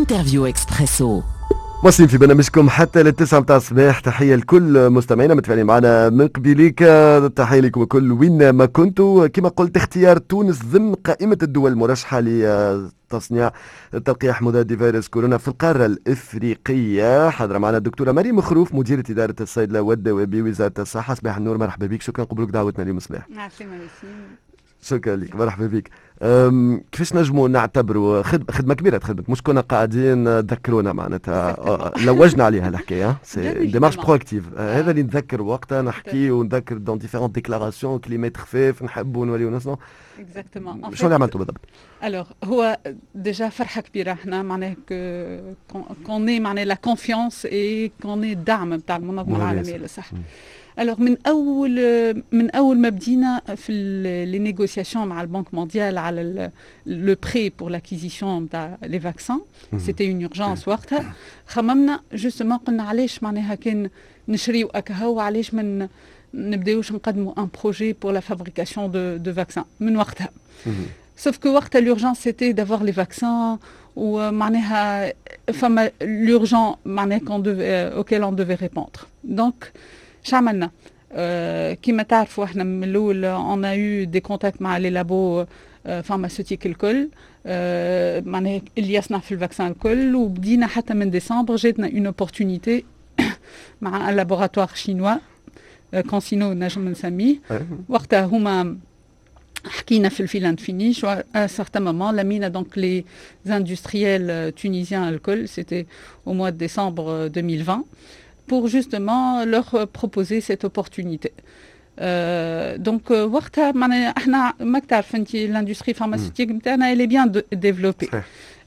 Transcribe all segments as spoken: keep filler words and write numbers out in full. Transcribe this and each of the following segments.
Interview Expresso. مواصلين في برنامجكم حتى للتسعة متاع الصباح. تحية لكل مستمعينا متفاعلين معنا من قبيليك، تحية لكم الكل وين ما كنتوا. كما قلت، اختيار تونس ضمن قائمة الدول المرشحة لتصنيع تلقيح مضاد فيروس كورونا في القارة الإفريقية. حاضرة معنا الدكتورة مريم خروف، مديرة إدارة الصيدلة والدواء بوزارة الصحة. صباح النور، مرحبا بك، شكرا قبولك دعوتنا اليوم صباح. شكرا لك، مرحبا بك. كيفاش نجموا نعتبروا خدمة كبيرة تخدمت، مش كنا قاعدين تذكرونا معناتها أه، لوجنا عليها الحكايه، c'est démarche proactive. هذا اللي نتذكر وقتها نحكي ونذكر dans différentes déclarations، كلمات خفاف نحبوا نوليو نصنعوا. Exactement. شنو اللي عملتوا بالضبط؟ Alors هو déjà فرحه كبيرة احنا معناها qu'on ait معناها la confiance et qu'on ait الدعم نتاع المنظمة العالمية للصحه. Alors من اول من اول ما بدينا في les négociations مع ال Banque mondiale على le prêt pour l'acquisition نتاع les vaccins، c'était une urgence. وقتها خممنا justement، قلنا علاش معناها كان نشريو اكاهو، علاش من نبداوش نقدموا un projet pour la fabrication de de vaccins من وقتها. Sauf que وقتها l'urgence c'était d'avoir les vaccins، ومعناها فما l'urgent معناها qu'on devait, auquel on devait répondre. Donc اش عملنا؟ آه كما تعرفوا احنا من الاول on a eu des contacts مع les labos pharmaceutiques الكل، آه معناها اللي يصنع في ال vaccin الكل. وبدينا حتى من ديسمبر جاتنا une opportunité مع un laboratoire chinois، CanSino نجم نسميه. وقتها هما حكينا في ال fill and finish. À un certain moment لمينا donc les industriels tunisiens الكل، c'était au mois de décembre deux mille vingt، pour justement leur proposer cette opportunité. Donc وقتها معناها احنا ماك تعرف انت l'industrie pharmaceutique نتاعنا elle est bien développée.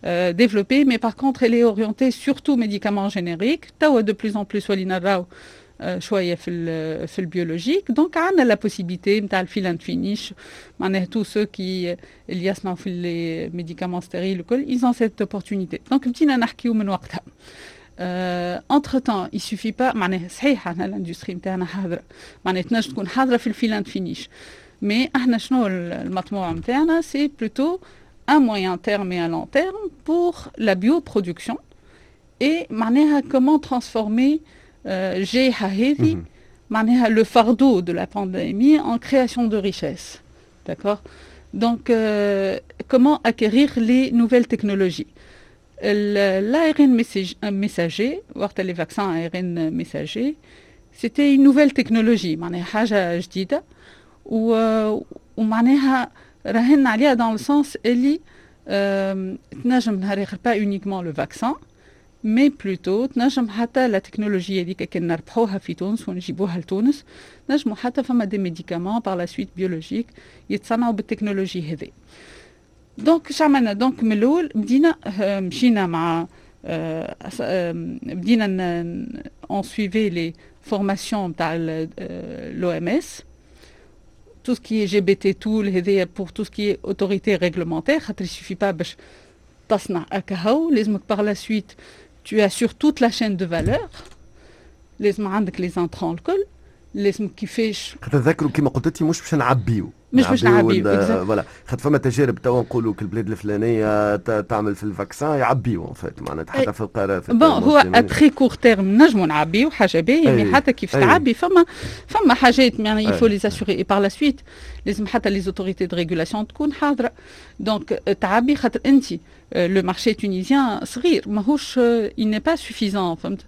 Euh, développée, mais par contre, elle est orientée surtout médicaments génériques. توا de plus en plus ولينا نراو شوية في في ال biologique. Donc عندنا la possibilité نتاع ال fill and finish، معناها tous ceux qui اللي يصنعوا في les médicaments stériles الكل ils ont cette opportunité. Donc بدينا نحكيو من وقتها. Entre temps il suffit pas، معناها صحيح احنا l'industrie نتاعنا حاضره، معناها تنجم تكون حاضره في ال fill and finish، mais احنا شنو المطموع نتاعنا؟ C'est plutôt à moyen terme et à long terme pour la bioproduction et معناها comment transformer الجائحة هذه، معناها le fardeau de la pandémie en création de richesse. D'accord. Donc, euh, comment acquérir les nouvelles technologies؟ L'A R N messager, les vaccins A R N messager, c'était une nouvelle technologie، معناها حاجة جديدة، ومعناها راهن عليها dans le sens اللي تنجم نهار اخر pas uniquement le vaccin mais plutôt تنجم حتى la technologie هذيك كان نربحوها في تونس ونجيبوها لتونس، نجموا حتى فما des médicaments par la suite biologiques يتصنعوا بالتكنولوجي هذه. Donc اش عملنا؟ Donc من الاول بدينا مشينا مع بدينا on suivait les formations تاع l'O M S، tout ce qui est G B T tool هذايا pour tout ce qui est autorité réglementaire، خاطر il suffit pas باش تصنع أكاهو، لازمك par la suite tu assures toute la chaîne de valeur، لازم عندك les intrants الكل، لازم كيفاش تذكروا كما قلت انت مش باش نعبيو. مش باش نعبيو. Voilà، خاطر فما تجارب توا نقولوا كل البلاد الفلانية تعمل في ال vaccin يعبيو en fait معناتها حتى في القارة. Bon، هو à très court terme نجموا نعبيو حاجة باهيه، mais حتى كيف تعبي فما فما حاجات يعني il faut les assurer et par la suite لازم حتى les autorités de régulation تكون حاضره. Donc تعبي خاطر انت le marché tunisien صغير، ماهوش il n'est pas suffisant، فهمت؟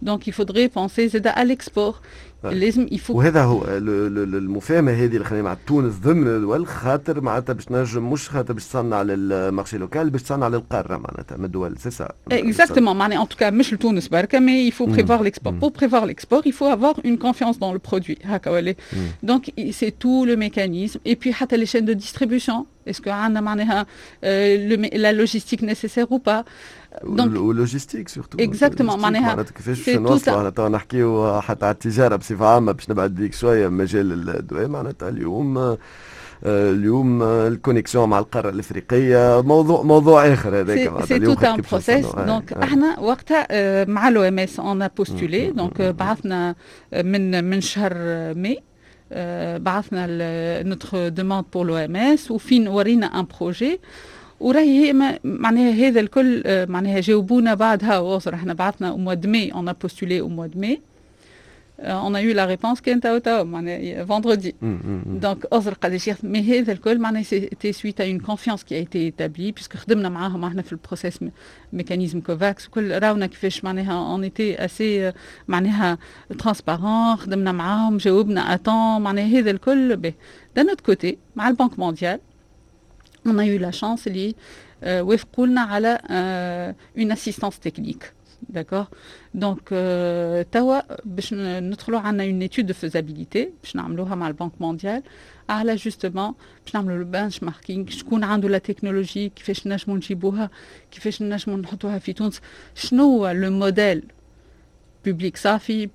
Donc il faudrait penser زاد à l'export، لازم il faut وهذا هو المفاهمه هذه اللي خلينا مع تونس ضمن الدول، خاطر معناتها باش نجم مش خاطر باش تصنع لل marché local، باش تصنع للقارة معناتها من الدول، c'est ça؟ Exactement، معناها en tout cas مش لتونس بركه، mais il faut prévoir l'export. Pour prévoir l'export il faut avoir une confiance dans le produit هكا ولا؟ Donc c'est tout le mécanisme et puis حتى les chaînes de distribution، est-ce que عندنا معناها la logistique nécessaire ou pas؟ Donc logistique surtout. Exactement. معناها كيفاش باش نوصلوا، توا نحكيو حتى على التجارة بصفة عامه، باش نبعد بيك شوية مجال الدواء، معناتها اليوم اليوم ال connexion مع القارة الافريقية موضوع موضوع اخر هذاك. C'est tout un processus. Donc احنا وقتها مع l'O M S on a postulé، donc بعثنا من من شهر ماي بعثنا notre demande pour l'O M S وفين ورينا un projet. وراهي هي معناها هذا الكل معناها جاوبونا بعدها وصل احنا بعثنا au mois de mai, on a postulé au mois de mai, on a eu la réponse كان تو تو معناها vendredi. Donc أزر قداش, mais هذا الكل معناها c'était suite à une confiance qui a été établie, puisque خدمنا معاهم احنا في ال process mécanisme COVAX وكل, راونا كيفاش معناها on était assez معناها transparents, خدمنا معاهم, جاوبنا à temps, معناها هذا الكل به. D'un autre côté, مع ال Banque mondiale, on a eu la chance اللي وافقوا لنا على une assistance technique. D'accord. Donc, توا باش ندخلوا عندنا une étude de faisabilité باش نعملوها مع ال Banque mondiale على justement باش نعملوا ال benchmarking, شكون عنده la technologie, كيفاش نجموا نجيبوها, كيفاش نجموا نحطوها في تونس, شنو هو le modèle public صافي,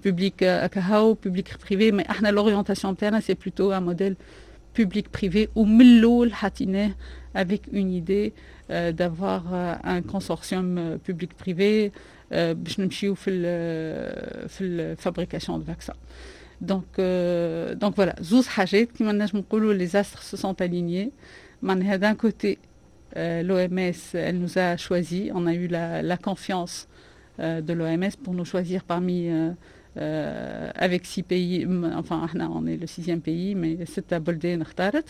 public كهو, public privé. Mais احنا l'orientation تاعنا, c'est plutôt un modèle public privé ومن الاول حطيناه avec une idée euh, d'avoir euh, un consortium public privé باش نمشيو في ال في ال fabrication de vaccins. Donc donc voilà, زوز حاجات كيما نجم نقولوا les astres se sont alignés. معناها d'un côté, l'O M S, elle nous a choisi, on a eu la, la confiance euh, de l'O M S pour nous choisir parmi euh, euh, avec six pays, enfin احنا on est le sixième pays, mais ستة بلدان اختارت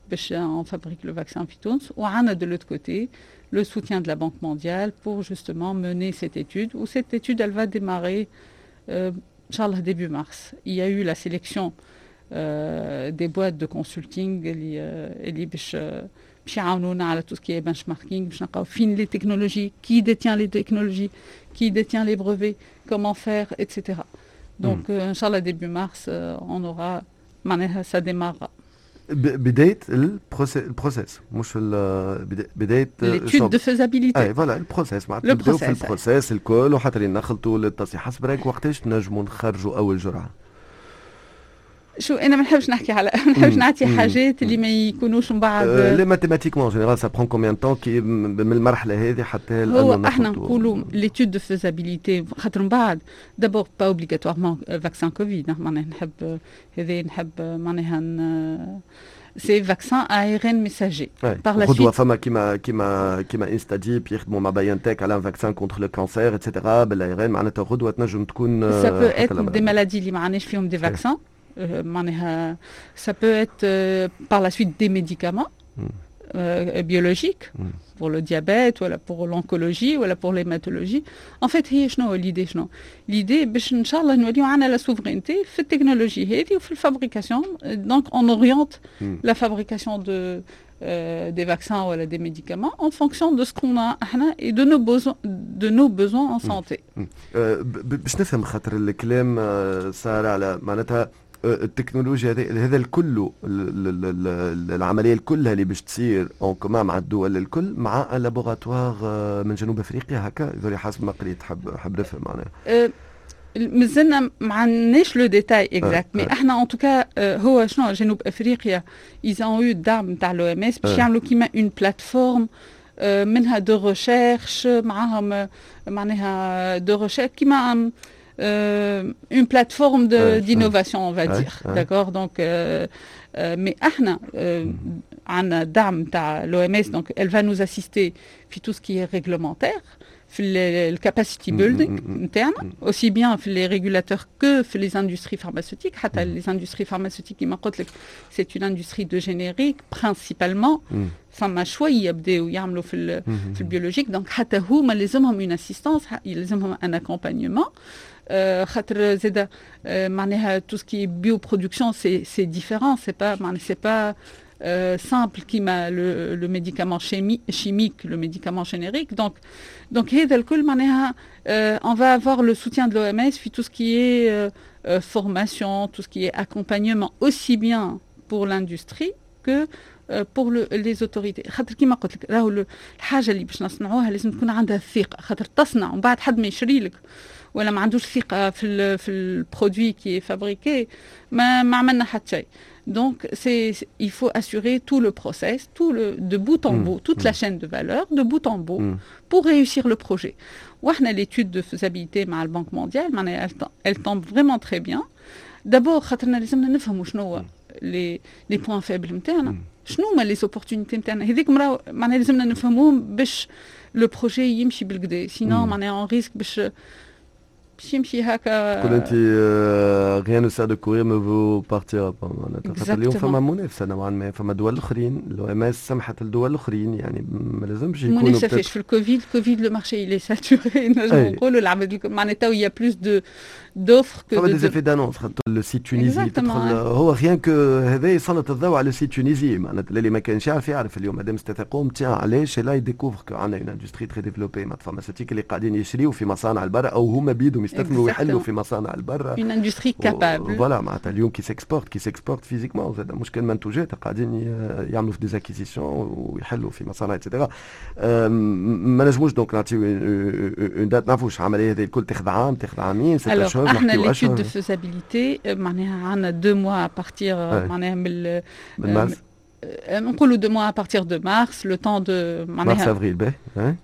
باش on fabrique le vaccin في تونس. وعندنا de l'autre côté le soutien de la Banque mondiale pour justement mener cette étude, و cette étude, elle va démarrer euh, إن شاء الله début mars. Il y a eu la sélection euh, des boîtes de consulting اللي اللي باش باش يعاونونا على tout ce qui est benchmarking, باش نلقاو فين les technologies, qui détient les technologies, qui détient les brevets, comment faire, et cetera. Donc, mm. euh, إن شاء الله, début mars, euh, on aura, معناها ça démarrera. بداية ال process مش بدايه l'étude de faisabilité. اي voilà, ال process معناتها نبداو في ال process الكل وحتى اللي نخلطوا للتصحيح. حسب رايك وقتاش نجموا نخرجوا اول جرعه؟ شو انا ما نحبش نحكي على ما نحبش نعطي حاجات اللي ما يكونوش من بعد. les mathématiquement, général, ça prend combien de temps كي من المرحلة هذه حتى هو احنا نقولوا l'étude de faisabilité, خاطر من بعد d'abord pas obligatoirement vaccin Covid, معناها نحب هذا نحب معناها c'est vaccin A R N messager. Par la suite فما كيما كيما كيما InstaDeep يخدموا مع BioNTech على un vaccin contre le cancer et cetera بال A R N, معناتها غدوه تنجم تكون ça peut être des maladies اللي ما عندناش فيهم des vaccins, معناها ça peut être par la suite des médicaments euh, biologiques mm. pour le diabète ولا pour l'oncologie ولا pour l'hématologie. En fait, هي شنو l'idée؟ شنو l'idée؟ باش ان شاء الله نوليو عندنا la souveraineté في التكنولوجي هذه وفي ال fabrication. Donc on oriente mm. la fabrication de euh, des vaccins ou des médicaments en fonction de ce qu'on a et de nos besoins, de nos besoins en santé. باش نفهم خاطر الكلام صار على معناتها التكنولوجيا هذا الكل, العملية كلها اللي باش تصير en commun مع الدول الكل مع laboratoire من جنوب افريقيا هكا يظهر, حسب ما قريت, حب حب نفهم معناها. مازلنا ما عندناش le détail exact, mais احنا en tout cas هو شنو جنوب افريقيا ils ont eu الدعم نتاع l'O M S باش يعملوا كيما une plateforme منها de recherche معاهم, معناها de recherche كيما une plateforme d'innovation, on va dire, d'accord. Donc euh, euh, mais احنا عندنا دعم تاع l'O M S, donc elle va nous assister في tout ce qui est réglementaire, في ال capacity building نتاعنا, aussi bien في les régulateurs que في les industries pharmaceutiques. حتى les industries pharmaceutiques, كيما قلت لك, c'est une industrie de générique principalement, فما شوية بداو يعملوا في في ال biologique. Donc حتى هما لازمهم une assistance, لازمهم un accompagnement, خاطر زاد معناها tout ce qui est bioproduction, c'est c'est différent, c'est pas معناها c'est pas euh, simple كيما le, le médicament chimie, chimique, le médicament générique. Donc, donc هذا الكل معناها euh, on va avoir le soutien de l'O M S في tout ce qui est euh, euh, formation, tout ce qui est accompagnement, aussi bien pour l'industrie que pour le, les autorités. خاطر كيما قلت لك راهو الحاجة اللي باش نصنعوها لازم تكون عندها الثقه, خاطر تصنع ومن بعد حد ما يشري لك ولا ما عندوش ثقة في ال في ال produit qui est fabriqué, ما ما عملنا حتى شيء. Donc, c'est, il faut assurer tout le process, tout le, de bout en mmh. bout, toute mmh. la chaîne de valeur, de bout en bout, mmh. pour réussir le projet. وإحنا l'étude de faisabilité مع ال Banque mondiale, elle, elle tombe vraiment très bien. D'abord, خاطرنا لازمنا نفهموا شنو les les points faibles نتاعنا, شنو شنو هما les opportunités نتاعنا؟ هذيك معناها لازمنا نفهموهم باش le projet يمشي بالقدا، sinon معناها on risque باش باش يمشي هكا. تقول انت rien ne sert de courir، mieux vaut partir. معناتها خاطر اليوم فما منافسه نوعا ما، فما دول اخرين، l'OMS سمحت للدول الاخرين، يعني ما لازمش يكونوا منافسه فيش في الكوفيد. الكوفيد le marché il est saturé، نجم نقولوا العباد معناتها il y a plus de d'offres que فما des effets d'annonce، خاطر le site Tunisie تدخل، هو rien que هذا يسلط الضوء على site Tunisie، معناتها اللي ما كانش يعرف يعرف اليوم مادام استثاقهم تيان علاش là il découvre que عندنا une industrie très développée معناتها pharmaceutique اللي قاعدين يشريوا في مصانع البرا او هما بيدهم يستثمروا ويحلوا في مصانع البرا. une industrie capable. voilà، معناتها اليوم qui s'exporte qui s'exporte physiquement زاد، مش كان منتوجات، قاعدين يعملوا في des acquisitions ويحلوا في مصانع et cetera. ما نجموش donc نعطيو une date، نعرفوش العملية هذه الكل تاخذ عام، تاخذ عامين، ستة اشهر. احنا l'étude de faisabilité معناها عندنا deux mois à partir معناها من من مارس. نقولوا deux mois à partir de mars، le temps de مارس افريل باهي.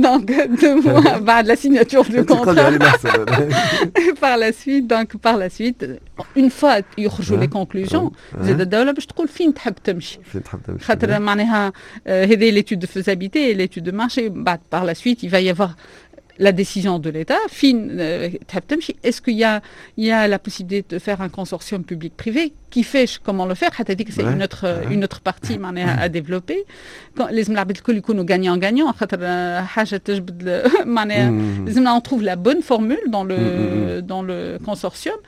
donc deux mois بعد la signature du contrat. par la suite donc par la suite une fois يخرجوا les conclusions، زاد الدولة باش تقول فين تحب تمشي. فين تحب تمشي. خاطر معناها هذه l'étude de faisabilité، l'étude de marché، بعد par la suite il va y avoir la décision de l'État، فين تحب تمشي، est-ce qu'il y a, il y a la possibilité de faire un consortium public-privé، كيفاش، comment le faire، حتى هذيك c'est une autre une autre partie معناها à développer. لازم العباد الكل يكونوا gagnant gagnant، خاطر حاجة تجبد معناها لازمنا on trouve la bonne formule dans le dans le consortium.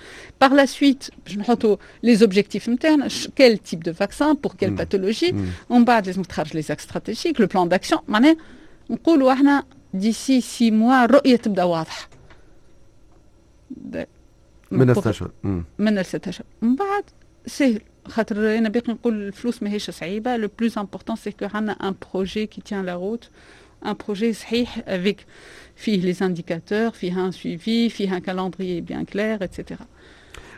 par la suite باش نحطوا les objectifs نتاعنا، quel type de vaccin، pour quelle pathologie، ومن بعد لازم تخرج les axes stratégiques، le plan d'action. معناها نقولوا احنا d'ici six mois الرؤية تبدا واضحه. من ستة اشهر. من ستة اشهر من بعد سهل، خاطر انا باقي نقول الفلوس ماهيش صعيبه. le plus important c'est que عندنا un projet qui tient la route، un projet صحيح avec فيه les indicateurs، فيه un suivi، فيه un calendrier bien clair et cetera.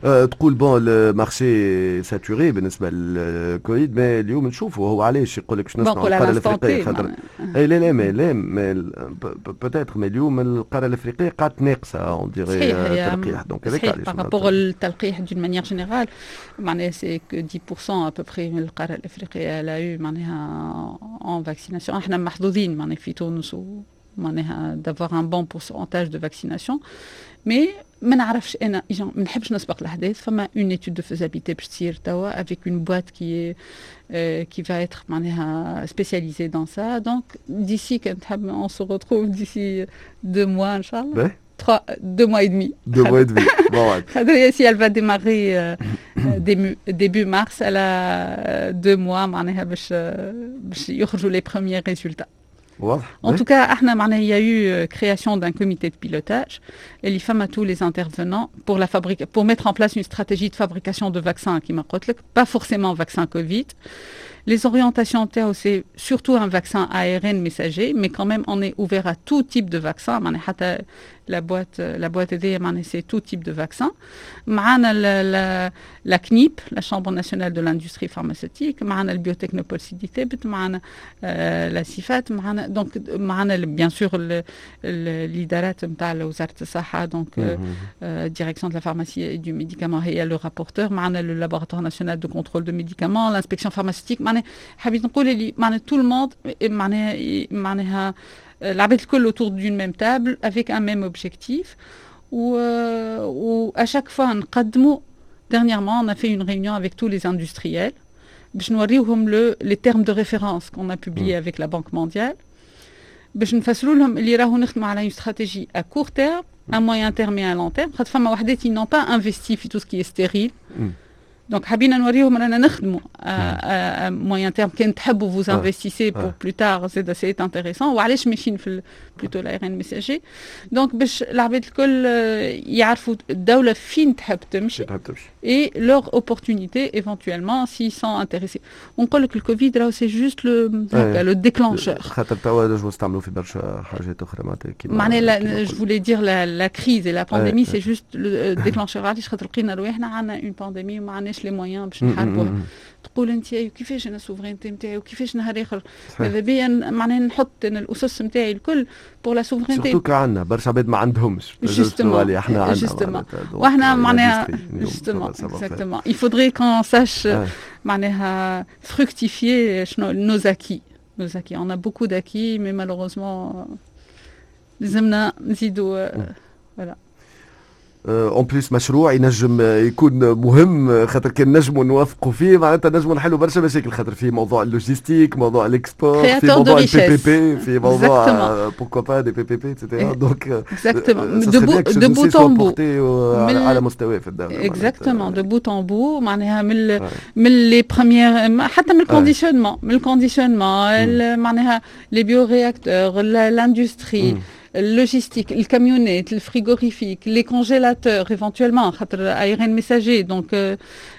أه تقول bon le marché saturé بالنسبة للكوفيد، mais اليوم نشوفوا هو علاش يقول لك باش نصنعوا القارة الافريقيه، خاطر اي لا لا mais لا mais peut-être mais اليوم القارة الافريقية قعدت ناقصه on dirait تلقيح، donc هذاك علاش par rapport التلقيح d'une manière générale معناها c'est que dix pour cent à peu près من القارة الافريقية elle a eu معناها en vaccination. احنا محظوظين معناها في تونس معناها d'avoir un bon pourcentage de vaccination، mais ما نعرفش انا، ما نحبش نسبق الاحداث. فما une étude de faisabilité باش تصير توا avec une boîte qui qui va être معناها spécialisée dans ça. donc d'ici كان تحب on se retrouve d'ici deux mois ان شاء الله، trois، deux mois et demi. Deux mois et demi. Bon, si elle va démarrer euh, début, début mars، elle a deux mois معناها باش باش يخرجوا les premiers résultats. واضح. En tout cas، احنا معناها il y a eu création d'un comité de pilotage اللي فما tous les intervenants pour la fabrique pour mettre en place une stratégie de fabrication de vaccins كيما قلت لك، pas forcément vaccin Covid. Les orientations تاعو c'est surtout un vaccin A R N messager، mais quand même on est ouvert à tout type de vaccin. معناها حتى la boîte la boîte هذيا معناها c'est tout type de vaccin. معنا la, la, la CNIP، la Chambre nationale de l'industrie pharmaceutique، معنا ال Biotechnopole سيدي ثابت، معنا la SIFAT، معنا donc معنا bien sûr الادارات نتاع وزارة الصحه، donc direction de la pharmacie et du médicament هي le rapporteur، معنا le laboratoire national de contrôle de médicaments، l'inspection pharmaceutique. معناها حبيت نقول اللي معناها tout le monde معناها معناها العباد الكل autour d'une même table avec un même objectif و, و à chaque fois نقدموا. dernièrement on a fait une réunion avec tous les industriels باش نوريوهم le les termes de référence qu'on a publiés avec la Banque mondiale، باش نفسروا لهم اللي راهو نخدموا على une stratégie à court terme، à moyen terme et à long terme، خاطر فما وحدات ils n'ont pas investi في tout ce qui est stérile. donc حبينا نوريهم رانا نخدموا à moyen terme، كان تحبوا vous investissez pour plus tard زاد c'est intéressant، وعلاش ماشيين في plutôt l'A R N messager. donc باش العباد الكل يعرفوا الدولة فين تحب تمشي تحب تمشي et leur opportunité éventuellement s'ils sont intéressés. ونقول لك الكوفيد راهو c'est juste le le déclencheur. خاطر توا نجموا نستعملوا في برشا حاجات اخرى معناتها. كيما معناها je voulais dire la, la crise et la pandémie c'est juste le déclencheur. علاش؟ خاطر لقينا رواحنا عندنا une pandémie وما عندناش عندناش les moyens باش نحاربوها. تقول انت كيفاش انا souveraineté نتاعي وكيفاش نهار اخر؟ ماذا بيا معناها نحط انا الاسس نتاعي الكل pour la souveraineté. surtout عندنا برشا عباد ما عندهمش. justement، احنا عندنا واحنا معناها justement، exactement، il faudrait qu'on sache معناها fructifier شنو nos acquis nos acquis. On a beaucoup d'acquis، mais malheureusement لازمنا نزيدوا، voilà. en plus مشروع ينجم يكون مهم، خاطر كان نجموا نوافقوا فيه معناتها نجموا نحلوا برشا مشاكل، خاطر في موضوع ال logistique، موضوع ال export، في موضوع ال PPP، في موضوع pourquoi pas des PPP et cetera، donc exactement، de bout en bout. على مستوى في الدوله. exactement، de bout en bout، معناها من من les premières، حتى من ال conditionnement من ال conditionnement معناها les bioréacteurs، l'industrie، logistique، الكاميونات، ال frigorifique، les congélateurs éventuellement، خاطر A R N messager، donc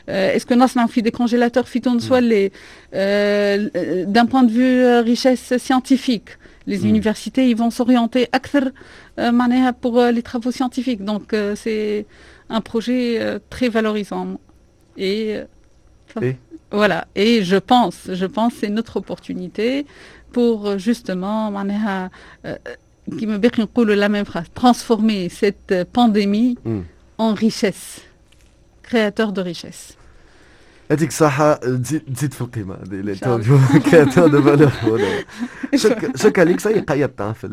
est-ce que نصنعوا في des congélateurs في تونس ولا؟ d'un point de vue richesse scientifique، les mm. universités ils vont s'orienter أكثر معناها pour les travaux scientifiques، donc c'est un projet très valorisant et, et voilà، et je pense je pense c'est notre opportunité pour justement معناها كيما باقي نقولوا la même phrase، transformer cette pandémie mm. en richesse، créateur de richesse. يعطيك الصحة، تزيد تزيد في القيمة هذه، créateur de valeur. شكرا لك. ça y est، قيدت في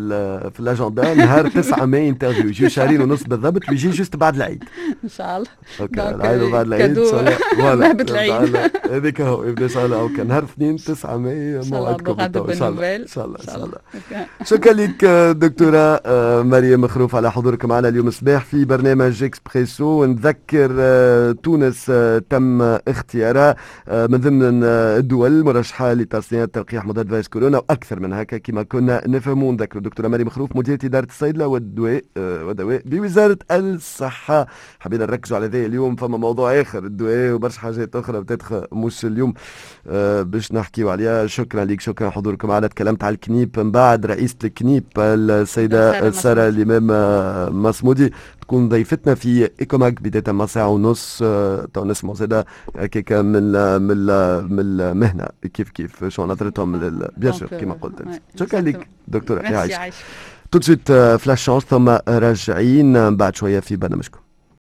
في l'agenda نهار تسعة ماي interview، يجي شهرين ونص بالضبط ويجي juste بعد العيد. ان شاء الله. OK، العيد وبعد العيد. voilà، العيد. هذيك هو يبدا ان شاء الله. OK، نهار اثنين تسعة ماي موعدكم ان شاء الله، ان شاء الله، ان شاء الله. شكرا لك دكتورة مريم خروف على حضورك معنا اليوم الصباح في برنامج اكسبريسو. نذكر تونس تم اختيارها من ضمن الدول المرشحة لتصنيع تلقيح مضاد فيروس كورونا وأكثر من هكا كما كنا نفهموا. نذكر دكتورة مريم خروف، مديرة إدارة الصيدلة والدواء والدواء بوزارة الصحة. حبينا نركزوا على ذا اليوم، فما موضوع آخر، الدواء وبرشا حاجات أخرى peut-être مش اليوم باش نحكيو عليها. شكرا لك، شكرا حضوركم معنا. تكلمت على الكنيب، من بعد رئيسة الكنيب السيدة سارة الإمام مصمودي تكون ضيفتنا في Ecomag بداية مع ساعة ونص. تو نسمعوا زادة هكاك من من من المهنة كيف كيف شو نظرتهم، bien sûr كما قلت. شكرا لك دكتورة، يعيشك. tout de suite flash، ثم راجعين بعد شوية في برنامجكم.